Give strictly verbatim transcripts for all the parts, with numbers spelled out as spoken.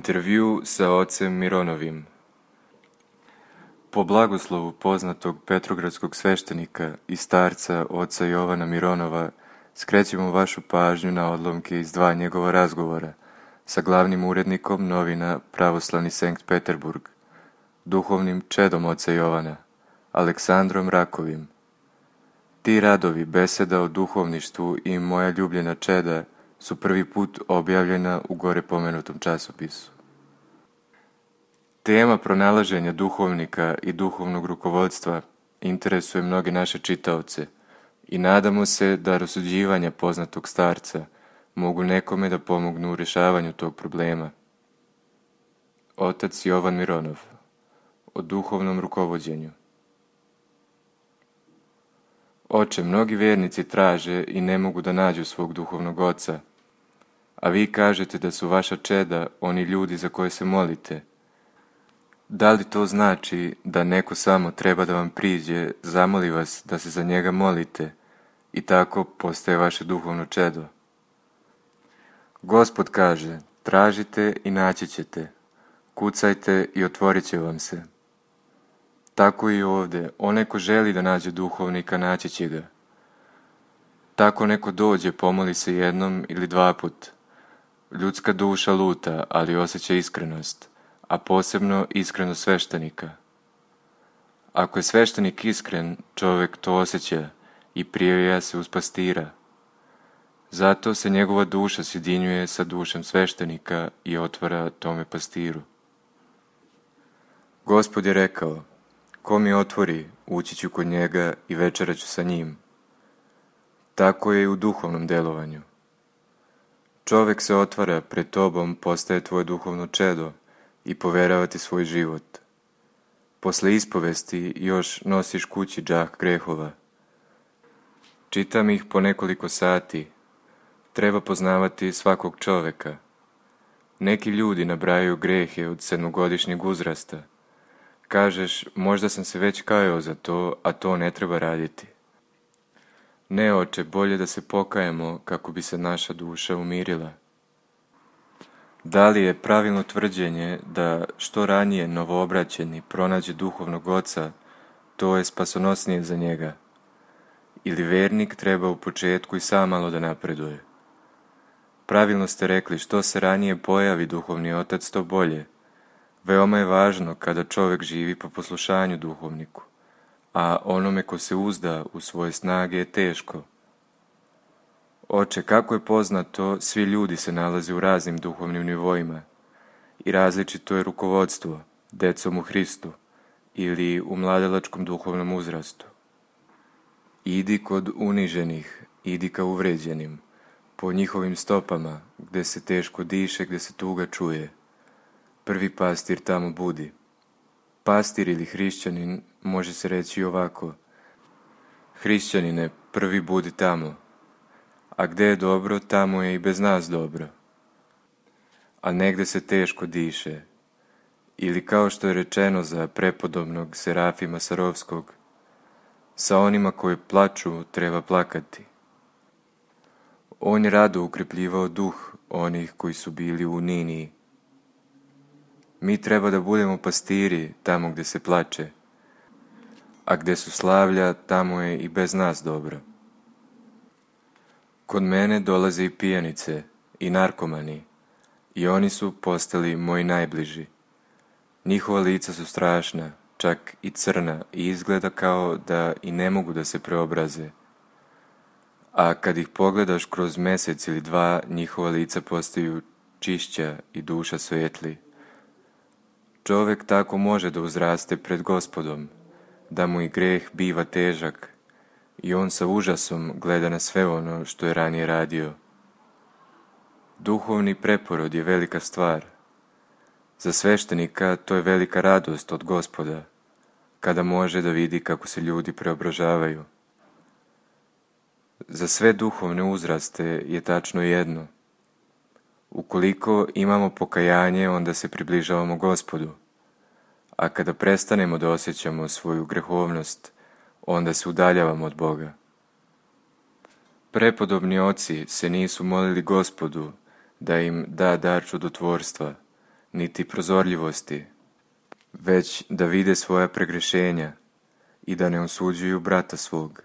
Intervju sa ocem Mironovim. Po blagoslovu poznatog petrogradskog sveštenika i starca oca Jovana Mironova skrećemo vašu pažnju na odlomke iz dva njegova razgovora sa glavnim urednikom novina Pravoslavni Sankt Peterburg, duhovnim čedom oca Jovana, Aleksandrom Rakovim. Ti radovi beseda o duhovništvu i Moja ljubljena čeda su prvi put objavljena u gore pomenutom časopisu. Tema pronalaženja duhovnika i duhovnog rukovodstva interesuje mnoge naše čitaoce i nadamo se da rasuđivanja poznatog starca mogu nekome da pomognu u rješavanju tog problema. Otac Jovan Mironov o duhovnom rukovođenju. Oče, mnogi vjernici traže i ne mogu da nađu svog duhovnog oca, a vi kažete da su vaša čeda oni ljudi za koje se molite. Da li to znači da neko samo treba da vam priđe, zamoli vas da se za njega molite i tako postaje vaše duhovno čedo? Gospod kaže, tražite i naći ćete, kucajte i otvorit će vam se. Tako i ovdje, onaj ko želi da nađe duhovnika, naći će ga. Tako neko dođe, pomoli se jednom ili dva put. Ljudska duša luta, ali osjeća iskrenost, a posebno iskrenost sveštenika. Ako je sveštenik iskren, čovjek to osjeća i prijavlja se uz pastira. Zato se njegova duša sjedinjuje sa dušom sveštenika i otvara tome pastiru. Gospod je rekao, ko mi otvori, ući ću kod njega i večerat ću sa njim. Tako je i u duhovnom delovanju. Čovjek se otvara pred tobom, postaje tvoje duhovno čedo i poverava ti svoj život. Posle ispovesti još nosiš kući džah grehova. Čitam ih po nekoliko sati. Treba poznavati svakog čovjeka. Neki ljudi nabrajaju grehe od sedmogodišnjeg uzrasta. Kažeš, možda sam se već kajao za to, a to ne treba raditi. Ne, oče, bolje da se pokajemo kako bi se naša duša umirila. Da li je pravilno tvrđenje da što ranije novoobraćeni pronađe duhovnog oca, to je spasonosnije za njega? Ili vernik treba u početku i sam malo da napreduje? Pravilno ste rekli, što se ranije pojavi duhovni otac, to bolje. Veoma je važno kada čovjek živi po poslušanju duhovniku, a onome ko se uzda u svoje snage je teško. Oče, kako je poznato, svi ljudi se nalaze u raznim duhovnim nivoima i različito je rukovodstvo decom u Hristu ili u mladalačkom duhovnom uzrastu. Idi kod uniženih, idi ka uvređenim, po njihovim stopama, gde se teško diše, gde se tuga čuje. Prvi pastir tamo budi. Pastir ili hrišćanin može se reći ovako: hrišćanine, prvi budi tamo, a gde je dobro, tamo je i bez nas dobro. A negde se teško diše, ili kao što je rečeno za prepodobnog Serafima Sarovskog, sa onima koji plaču treba plakati. On je rado ukrepljivao duh onih koji su bili u Niniji. Mi treba da budemo pastiri tamo gde se plače, a gde su slavlja, tamo je i bez nas dobro. Kod mene dolaze i pijanice i narkomani, i oni su postali moji najbliži. Njihova lica su strašna, čak i crna, i izgleda kao da i ne mogu da se preobraze. A kad ih pogledaš kroz mesec ili dva, njihova lica postaju čišća i duša svetli. Čovek tako može da uzraste pred Gospodom, da mu i greh biva težak, i on sa užasom gleda na sve ono što je ranije radio. Duhovni preporod je velika stvar. Za sveštenika to je velika radost od Gospoda, kada može da vidi kako se ljudi preobražavaju. Za sve duhovne uzraste je tačno jedno. Ukoliko imamo pokajanje, onda se približavamo Gospodu, a kada prestanemo da osjećamo svoju grehovnost, onda se udaljavamo od Boga. Prepodobni oci se nisu molili Gospodu da im da dar čudotvorstva, niti prozorljivosti, već da vide svoja pregrešenja i da ne osuđuju brata svog.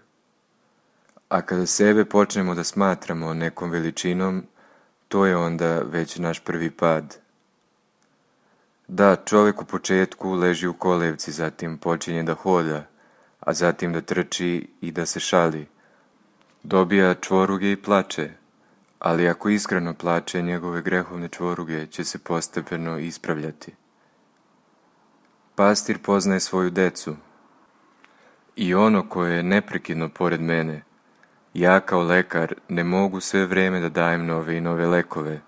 A kada sebe počnemo da smatramo nekom veličinom, to je onda već naš prvi pad. Da, čovjek u početku leži u kolevci, zatim počinje da hoda, a zatim da trči i da se šali. Dobija čvoruge i plače, ali ako iskreno plače, njegove grehovne čvoruge će se postepeno ispravljati. Pastir poznaje svoju decu, i ono koje je neprekidno pored mene. Ja kao lekar ne mogu sve vreme da dajem nove i nove lekove.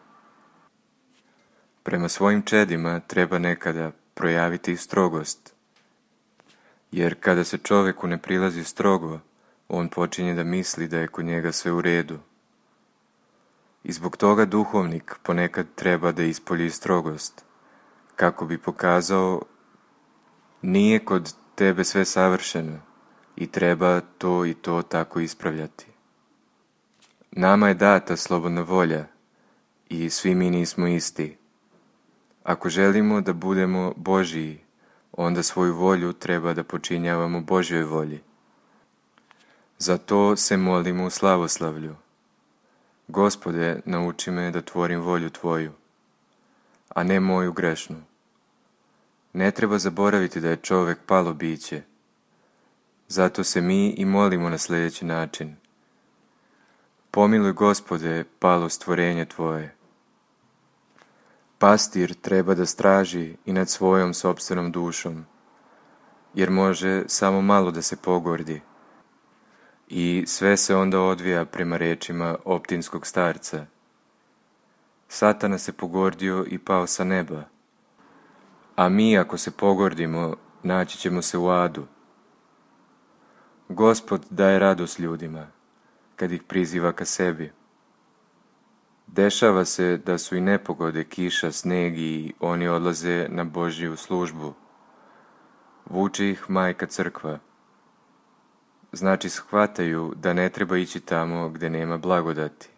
Prema svojim čedima treba nekada projaviti strogost, jer kada se čoveku ne prilazi strogo, on počinje da misli da je kod njega sve u redu. I zbog toga duhovnik ponekad treba da ispolji strogost, kako bi pokazao: nije kod tebe sve savršeno i treba to i to tako ispravljati. Nama je data slobodna volja i svi mi nismo isti. Ako želimo da budemo Božiji, onda svoju volju treba da počinjavamo Božjoj volji. Zato se molimo u slavoslavlju: Gospode, nauči me da tvorim volju Tvoju, a ne moju grešnu. Ne treba zaboraviti da je čovek palo biće. Zato se mi i molimo na sljedeći način: Pomiluj, Gospode, palo stvorenje Tvoje. Pastir treba da straži i nad svojom sopstvenom dušom, jer može samo malo da se pogordi. I sve se onda odvija prema rečima optinskog starca: Satana se pogordio i pao sa neba, a mi ako se pogordimo, naći ćemo se u adu. Gospod daje radost ljudima, kad ih priziva ka sebi. Dešava se da su i nepogode, kiša, sneg, i oni odlaze na Božju službu. Vuče ih majka crkva. Znači shvataju da ne treba ići tamo gde nema blagodati.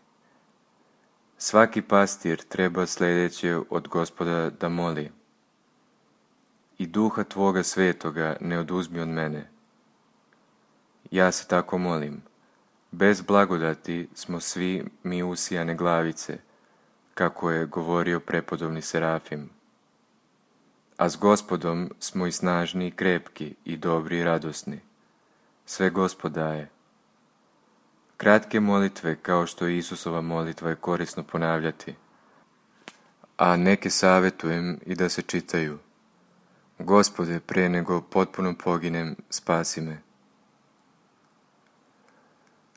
Svaki pastir treba sljedeće od Gospoda da moli: I duha Tvoga svetoga ne oduzmi od mene. Ja se tako molim: bez blagodati smo svi mi usijane glavice, kako je govorio prepodobni Serafim. A s Gospodom smo i snažni i krepki i dobri i radosni. Sve Gospod daje. Kratke molitve kao što je Isusova molitva je korisno ponavljati. a neke savjetujem i da se čitaju. Gospode, pre nego potpuno poginem, spasi me.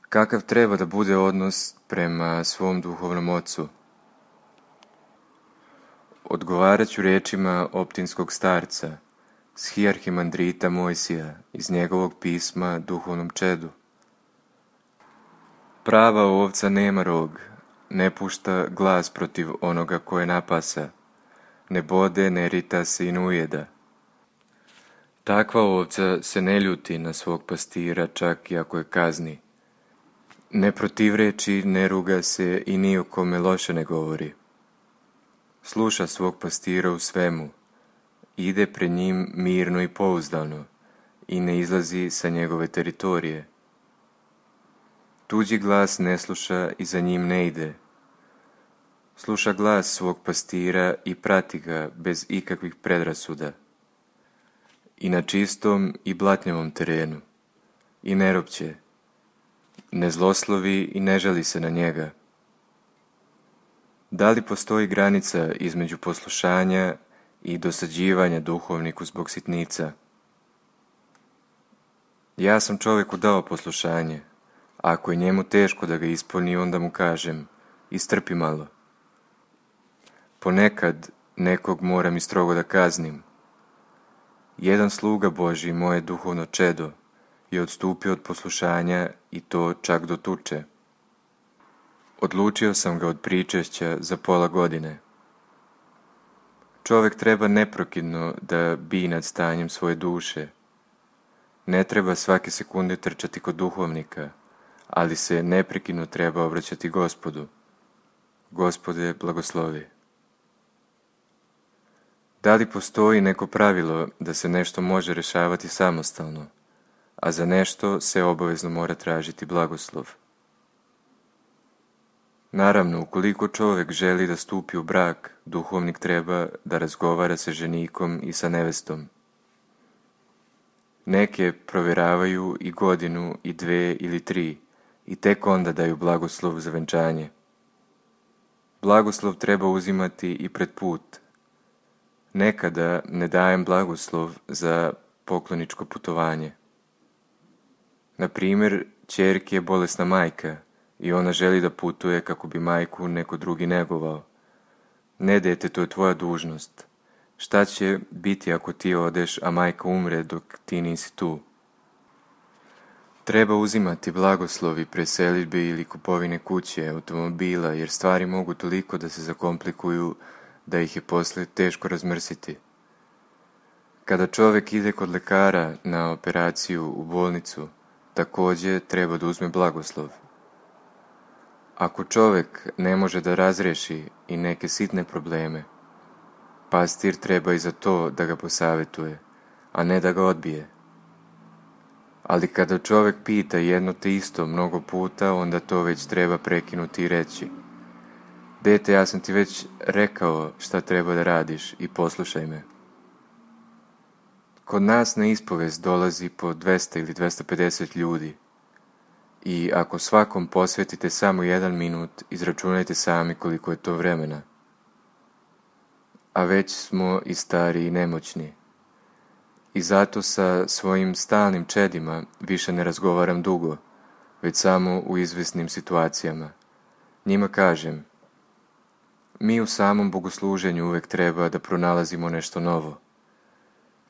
Kakav treba da bude odnos prema svom duhovnom ocu? Odgovarat ću rečima optinskog starca, shijarhimandrita Mojsija, iz njegovog pisma duhovnom čedu. Prava ovca nema rog, ne pušta glas protiv onoga koje napasa, ne bode, ne rita se i ne ujeda. Takva ovca se ne ljuti na svog pastira, čak i ako je kazni. Ne protivreči, ne ruga se i ni o kome loše ne govori. Sluša svog pastira u svemu, ide pred njim mirno i pouzdano i ne izlazi sa njegove teritorije. Tuđi glas ne sluša i za njim ne ide. Sluša glas svog pastira i prati ga bez ikakvih predrasuda. I na čistom i blatnjavom terenu. I ne ropće. Ne zloslovi i ne žali se na njega. Da li postoji granica između poslušanja i dosađivanja duhovniku zbog sitnica? Ja sam čovjeku dao poslušanje. Ako je njemu teško da ga ispuni, onda mu kažem, istrpi malo. Ponekad nekog moram i strogo da kaznim. Jedan sluga Božji, moje duhovno čedo, je odstupio od poslušanja i to čak do tuče. Odlučio sam ga od pričešća za pola godine. Čovjek treba neprokidno da bi nad stanjem svoje duše. Ne treba svake sekunde trčati kod duhovnika, ali se neprekidno treba obraćati Gospodu. Gospode, blagoslovi. Da li postoji neko pravilo da se nešto može rešavati samostalno, a za nešto se obavezno mora tražiti blagoslov? Naravno, ukoliko čovjek želi da stupi u brak, duhovnik treba da razgovara sa ženikom i sa nevestom. Neke provjeravaju i godinu, i dve ili tri, i tek onda daju blagoslov za venčanje. Blagoslov treba uzimati i pred put. Nekada ne dajem blagoslov za pokloničko putovanje. Na primjer, ćerki je bolesna majka i ona želi da putuje kako bi majku neko drugi negovao. Ne, dete, to je tvoja dužnost. Šta će biti ako ti odeš, a majka umre dok ti nisi tu? Treba uzimati blagoslovi pre selidbe ili kupovine kuće, automobila, jer stvari mogu toliko da se zakomplikuju da ih je posle teško razmrsiti. Kada čovjek ide kod lekara na operaciju u bolnicu, također treba da uzme blagoslov. Ako čovjek ne može da razreši i neke sitne probleme, pastir treba i za to da ga posavjetuje, a ne da ga odbije. Ali kada čovjek pita jedno te isto mnogo puta, onda to već treba prekinuti i reći: dete, ja sam ti već rekao šta treba da radiš i poslušaj me. Kod nas na ispovest dolazi po dvesta ili dvesta pedeset ljudi i ako svakom posvetite samo jedan minut, izračunajte sami koliko je to vremena. A već smo i stari i nemoćni. I zato sa svojim stalnim čedima više ne razgovaram dugo, već samo u izvesnim situacijama. Njima kažem: mi u samom bogosluženju uvek treba da pronalazimo nešto novo.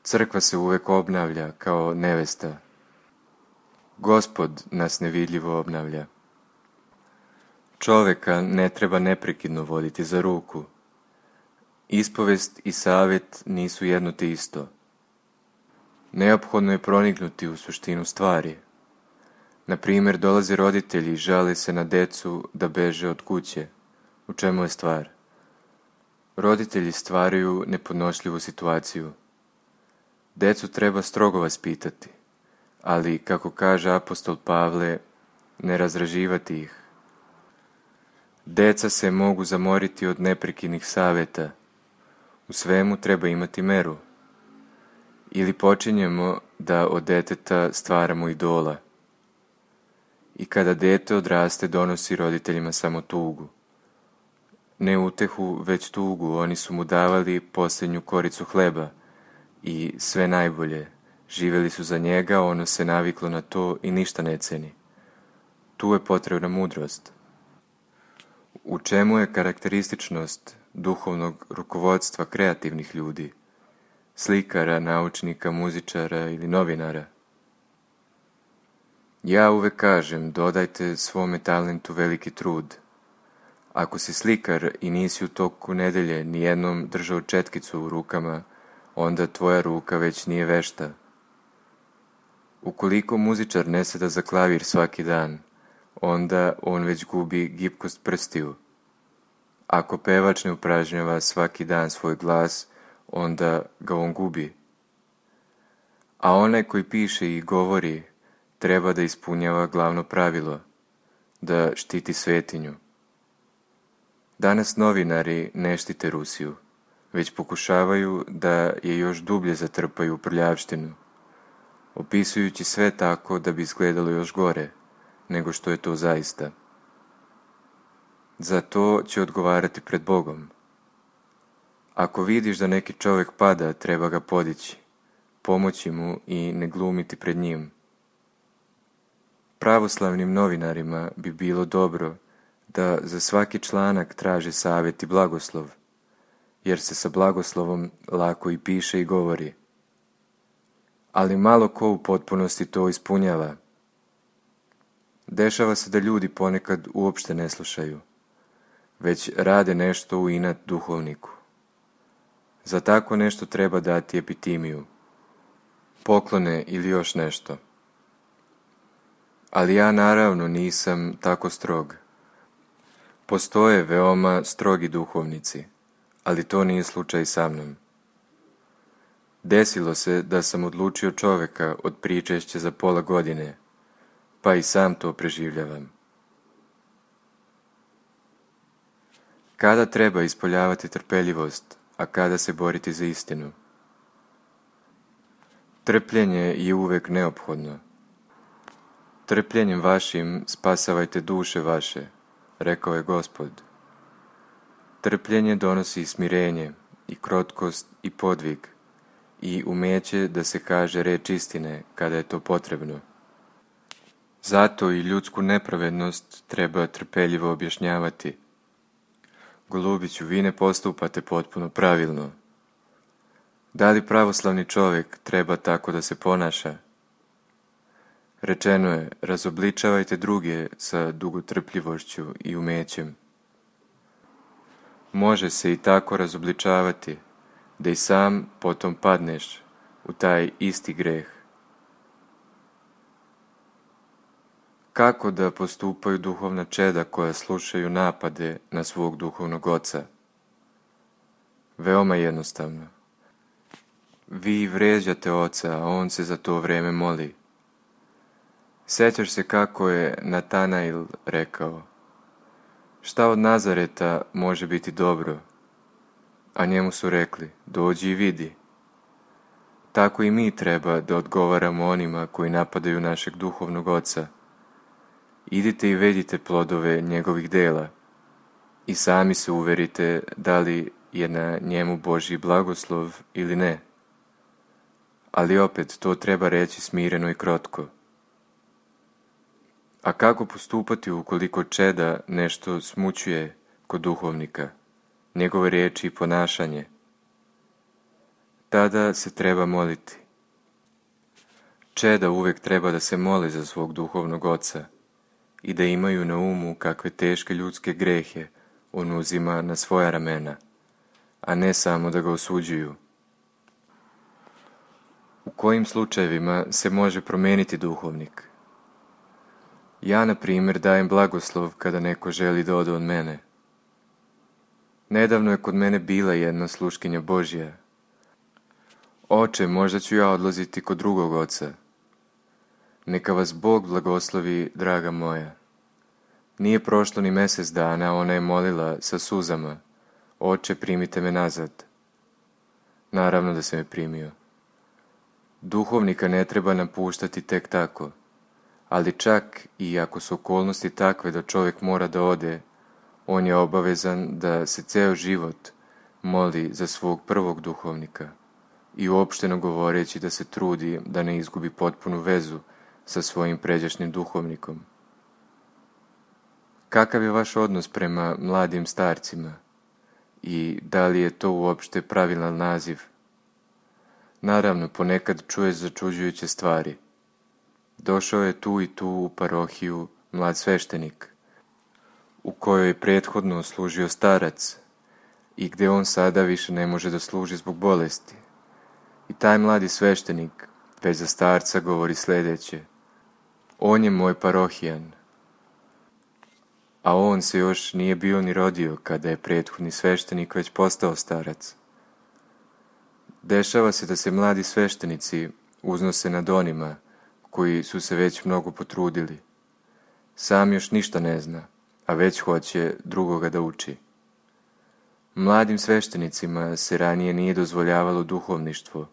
Crkva se uvek obnavlja kao nevesta. Gospod nas nevidljivo obnavlja. Čoveka ne treba neprekidno voditi za ruku. Ispovest i savjet nisu jedno te isto. Neophodno je proniknuti u suštinu stvari. Na primjer, dolaze roditelji i žale se na decu da beže od kuće. U čemu je stvar? Roditelji stvaraju nepodnošljivu situaciju. Decu treba strogo vaspitati, ali, kako kaže apostol Pavle, ne razraživati ih. Deca se mogu zamoriti od neprekidnih savjeta. U svemu treba imati meru. Ili počinjemo da od deteta stvaramo idola. I kada dete odraste, donosi roditeljima samo tugu. ne utehu, već tugu, oni su mu davali posljednju koricu hleba i sve najbolje. Živjeli su za njega, ono se naviklo na to i ništa ne ceni. Tu je potrebna mudrost. U čemu je karakterističnost duhovnog rukovodstva kreativnih ljudi, slikara, naučnika, muzičara ili novinara? Ja uvek kažem, dodajte svome talentu veliki trud. Ako si slikar i nisi u toku nedelje nijednom držao četkicu u rukama, onda tvoja ruka već nije vešta. Ukoliko muzičar ne seda za klavir svaki dan, onda on već gubi gibkost prstiju. Ako pevač ne upražnjava svaki dan svoj glas, onda ga on gubi. A onaj koji piše i govori treba da ispunjava glavno pravilo, da štiti svetinju. Danas novinari ne štite Rusiju, već pokušavaju da je još dublje zatrpaju u prljavštinu, opisujući sve tako da bi izgledalo još gore nego što je to zaista. Za to će odgovarati pred Bogom. Ako vidiš da neki čovjek pada, treba ga podići, pomoći mu i ne glumiti pred njim. Pravoslavnim novinarima bi bilo dobro da za svaki članak traže savjet i blagoslov, jer se sa blagoslovom lako i piše i govori. Ali malo ko u potpunosti to ispunjava. Dešava se da ljudi ponekad uopšte ne slušaju, već rade nešto u inat duhovniku. Za tako nešto treba dati epitimiju, poklone ili još nešto. Ali ja naravno nisam tako strog. Postoje veoma strogi duhovnici, ali to nije slučaj sa mnom. Desilo se da sam odlučio čoveka od pričešća za pola godine, pa i sam to preživljavam. Kada treba ispoljavati trpeljivost, a kada se boriti za istinu? Trpljenje je uvek neophodno. Trpljenjem vašim spasavajte duše vaše, rekao je Gospod. Trpljenje donosi smirenje i krotkost i podvig i umeće da se kaže reč istine kada je to potrebno. Zato i ljudsku nepravednost treba trpeljivo objašnjavati. Golubiću, vi ne postupate potpuno pravilno. Da li pravoslavni čovjek treba tako da se ponaša? Rečeno je, razobličavajte druge sa dugotrpljivošću i umećem. Može se i tako razobličavati, da i sam potom padneš u taj isti greh. Kako da postupaju duhovna čeda koja slušaju napade na svog duhovnog oca? Veoma jednostavno. Vi vređate oca, a on se za to vreme moli. Sjećaš se kako je Natanail rekao, šta od Nazareta može biti dobro? A njemu su rekli, dođi i vidi. Tako i mi treba da odgovaramo onima koji napadaju našeg duhovnog oca. Idite i vedite plodove njegovih dela i sami se uverite da li je na njemu Božji blagoslov ili ne. Ali opet to treba reći smireno i krotko. A kako postupati ukoliko čeda nešto smućuje kod duhovnika, njegove riječi i ponašanje? Tada se treba moliti. Čeda uvek treba da se mole za svog duhovnog oca i da imaju na umu kakve teške ljudske grehe on uzima na svoja ramena, a ne samo da ga osuđuju. U kojim slučajevima se može promeniti duhovnik? Ja, na primjer, dajem blagoslov kada neko želi da ode od mene. Nedavno je kod mene bila jedna sluškinja Božja. Oče, možda ću ja odlaziti kod drugog oca. Neka vas Bog blagoslovi, draga moja. Nije prošlo ni mjesec dana, ona je molila sa suzama, Oče, primite me nazad. Naravno da se me primio. Duhovnika ne treba napuštati tek tako, ali čak i ako su okolnosti takve da čovjek mora da ode, on je obavezan da se ceo život moli za svog prvog duhovnika i uopšteno govoreći da se trudi da ne izgubi potpunu vezu sa svojim pređašnjim duhovnikom. Kakav je vaš odnos prema mladim starcima i da li je to uopšte pravilan naziv? Naravno, ponekad čuješ začuđujuće stvari. Došao je tu i tu u parohiju mlad sveštenik, u kojoj je prethodno služio starac i gde on sada više ne može da služi zbog bolesti. I taj mladi sveštenik već za starca govori sljedeće: on je moj parohijan. A on se još nije bio ni rodio kada je prethodni sveštenik već postao starac. Dešava se da se mladi sveštenici uznose nad onima koji su se već mnogo potrudili. Sam još ništa ne zna, a već hoće drugoga da uči. Mladim sveštenicima se ranije nije dozvoljavalo duhovništvo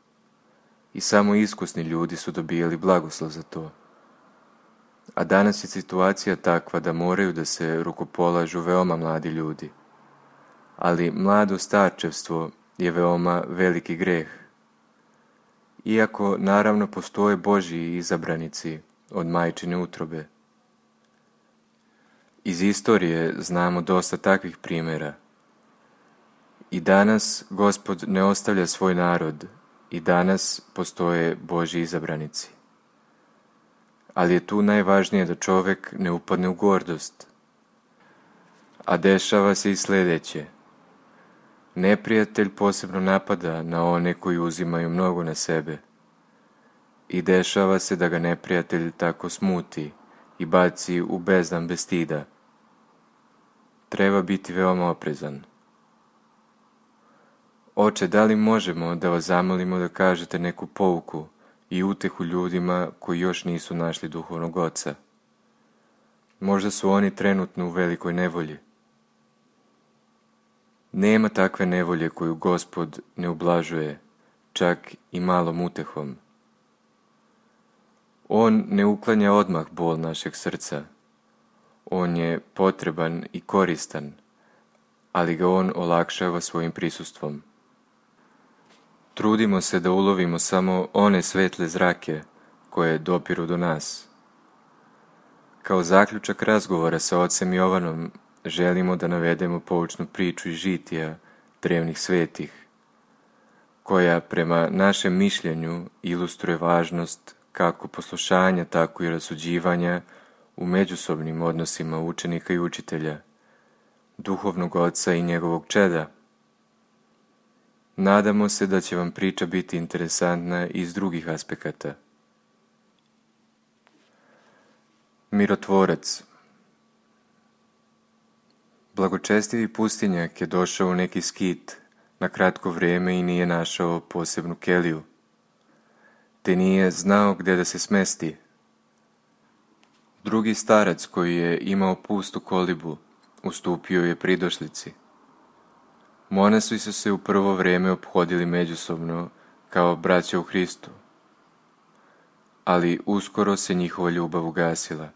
i samo iskusni ljudi su dobijali blagoslov za to. A danas je situacija takva da moraju da se rukopolažu veoma mladi ljudi. Ali mlado starčevstvo je veoma veliki greh. Iako naravno postoje Božji izabranici od majčine utrobe. Iz istorije znamo dosta takvih primjera. I danas Gospod ne ostavlja svoj narod i danas postoje Božji izabranici. Ali je tu najvažnije da čovjek ne upadne u gordost. A dešava se i sljedeće. Neprijatelj posebno napada na one koji uzimaju mnogo na sebe. I dešava se da ga neprijatelj tako smuti i baci u bezdan bez stida. Treba biti veoma oprezan. Oče, da li možemo da vas zamolimo da kažete neku pouku i utehu ljudima koji još nisu našli duhovnog oca? Možda su oni trenutno u velikoj nevolji. Nema takve nevolje koju Gospod ne ublažuje, čak i malom utehom. On ne uklanja odmah bol našeg srca. On je potreban i koristan, ali ga on olakšava svojim prisustvom. Trudimo se da ulovimo samo one svetle zrake koje dopiru do nas. Kao zaključak razgovora sa ocem Jovanom želimo da navedemo poučnu priču iz žitija drevnih svetih, koja prema našem mišljenju ilustruje važnost kako poslušanja, tako i rasuđivanja u međusobnim odnosima učenika i učitelja, duhovnog oca i njegovog čeda. Nadamo se da će vam priča biti interesantna iz drugih aspekata. Mirotvorac. Blagočestivi pustinjak je došao u neki skit na kratko vrijeme i nije našao posebnu keliju, te nije znao gdje da se smesti. Drugi starac koji je imao pustu kolibu ustupio je pridošlici. Monasi su se u prvo vrijeme ophodili međusobno kao braća u Hristu, ali uskoro se njihova ljubav ugasila.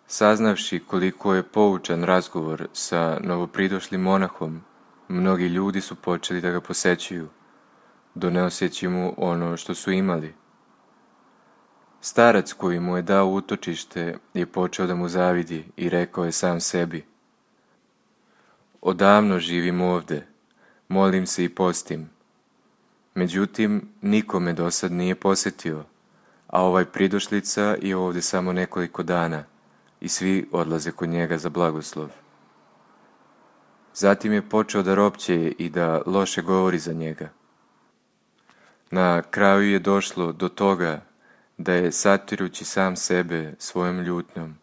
Saznavši koliko je poučan razgovor sa novopridošlim monahom, mnogi ljudi su počeli da ga posećuju, donoseći mu ono što su imali. Starac koji mu je dao utočište je počeo da mu zavidi i rekao je sam sebi: odavno živim ovde, molim se i postim. Međutim, nikome do sad nije posjetio, a ovaj pridošlica je ovde samo nekoliko dana i svi odlaze kod njega za blagoslov. Zatim je počeo da ropće i da loše govori za njega. Na kraju je došlo do toga da je, satirujući sam sebe svojom ljutnjom,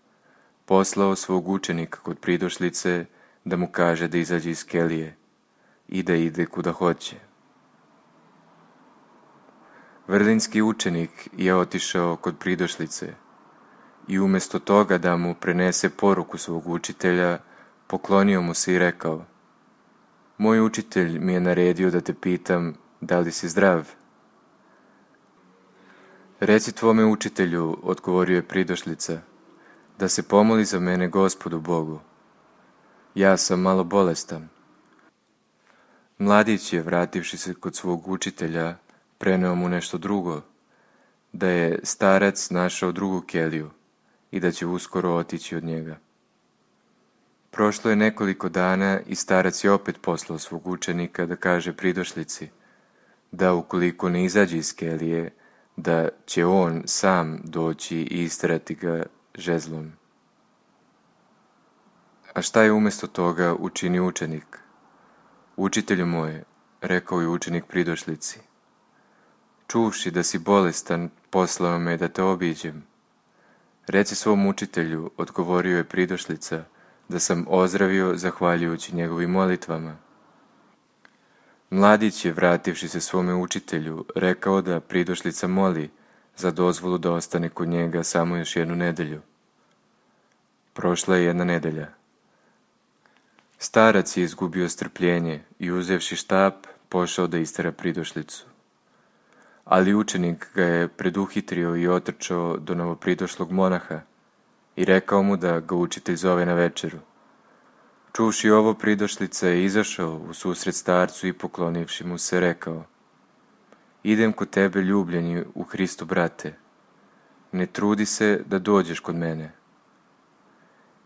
poslao svog učenika kod pridošlice da mu kaže da izađe iz kelije i da ide kuda hoće. Vrlinski učenik je otišao kod pridošlice i umjesto toga da mu prenese poruku svog učitelja, poklonio mu se i rekao: moj učitelj mi je naredio da te pitam da li si zdrav. Reci tvome učitelju, odgovorio je pridošlica, da se pomoli za mene Gospodu Bogu. Ja sam malo bolestan. Mladić je, vrativši se kod svog učitelja, preneo mu nešto drugo, da je starac našao drugu keliju i da će uskoro otići od njega. Prošlo je nekoliko dana i starac je opet poslao svog učenika da kaže pridošlici da ukoliko ne izađe iz kelije, da će on sam doći i isterati ga žezlom. A šta je umjesto toga učini učenik? Učitelju moje, rekao je učenik pridošlici, čuvši da si bolestan, poslao me da te obiđem. Reci svom učitelju, odgovorio je pridošlica, da sam ozdravio zahvaljujući njegovim molitvama. Mladić je, vrativši se svome učitelju, rekao da pridošlica moli za dozvolu da ostane kod njega samo još jednu nedelju. Prošla je jedna nedelja. Starac je izgubio strpljenje i uzevši štap, pošao da istera pridošlicu. Ali učenik ga je preduhitrio i otrčao do novopridošlog monaha i rekao mu da ga učitelj zove na večeru. Čuvši ovo, pridošlica je izašao u susret starcu i poklonivši mu se rekao: idem kod tebe, ljubljeni u Hristu brate, ne trudi se da dođeš kod mene.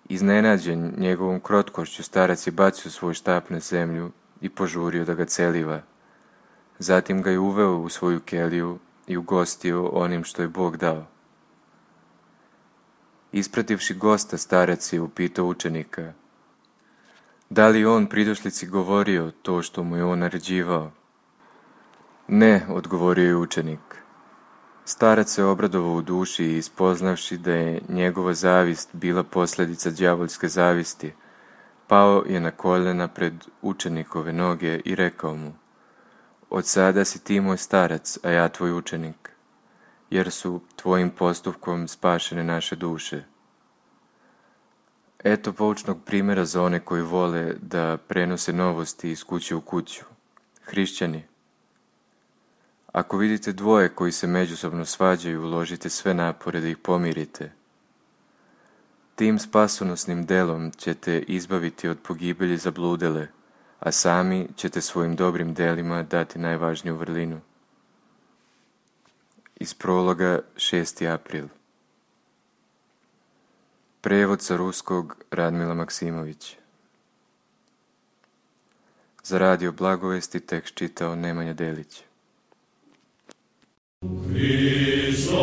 Iznenađen njegovom krotkošću, starac je bacio svoj štap na zemlju i požurio da ga celiva. Zatim ga je uveo u svoju keliju i ugostio onim što je Bog dao. Isprativši gosta, starac je upitao učenika: da li on pridošlici govorio to što mu je on naređivao? Ne, odgovorio je učenik. Starac se obradovao u duši i ispoznavši da je njegova zavist bila posljedica đavolske zavisti, pao je na koljena pred učenikove noge i rekao mu: od sada si ti moj starac, a ja tvoj učenik, jer su tvojim postupkom spašene naše duše. Eto poučnog primjera za one koji vole da prenose novosti iz kuće u kuću. Hrišćani, ako vidite dvoje koji se međusobno svađaju, uložite sve napore da ih pomirite. Tim spasonosnim delom ćete izbaviti od pogibelji zabludele, a sami ćete svojim dobrim delima dati najvažniju vrlinu. Iz prologa šesti april. Prevod sa ruskog Radmila Maksimović. Za radio Blagovesti tekst čitao Nemanja Delić. Hristo